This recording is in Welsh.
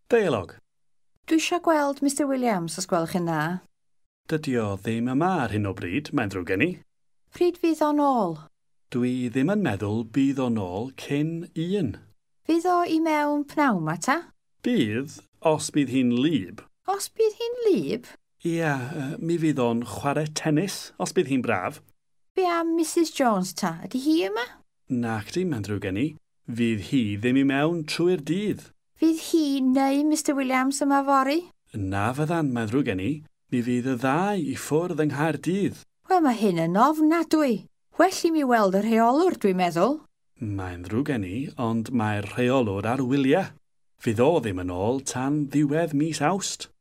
Deialog. Dwi eisiau gweld Mr Williams, os gwelwch yn dda. Dydy o ddim yma ar hyn o bryd, mae'n ddrwg gen i. Pryd fydd o'n ôl? Dwi ddim yn meddwl bydd o'n ôl cyn 1. Fydd o i mewn pnawn 'ma ta? Bydd, os bydd hi'n wlyb. Os bydd hi'n wlyb? Ia, mi fydd o'n chwarae tennis, os bydd hi'n braf. Be am Mrs Jones ta? Ydy hi yma? Nac di, mae'n ddrwg gen i. Fydd hi ddim i mewn trwy'r dydd. Fydd hi neu Mr Williams yma fory? Na fyddan, mae'n ddrwg gen i. Mi fydd y ddau i ffwrdd yng Nghaerdydd. Wel, mae hyn yn ofnadwy. Well i mi weld y rheolwr, dwi'n meddwl. Mae'n ddrwg gen i, ond mae'r rheolwr ar wyliau. Fydd o ddim yn ôl tan ddiwedd mis Awst.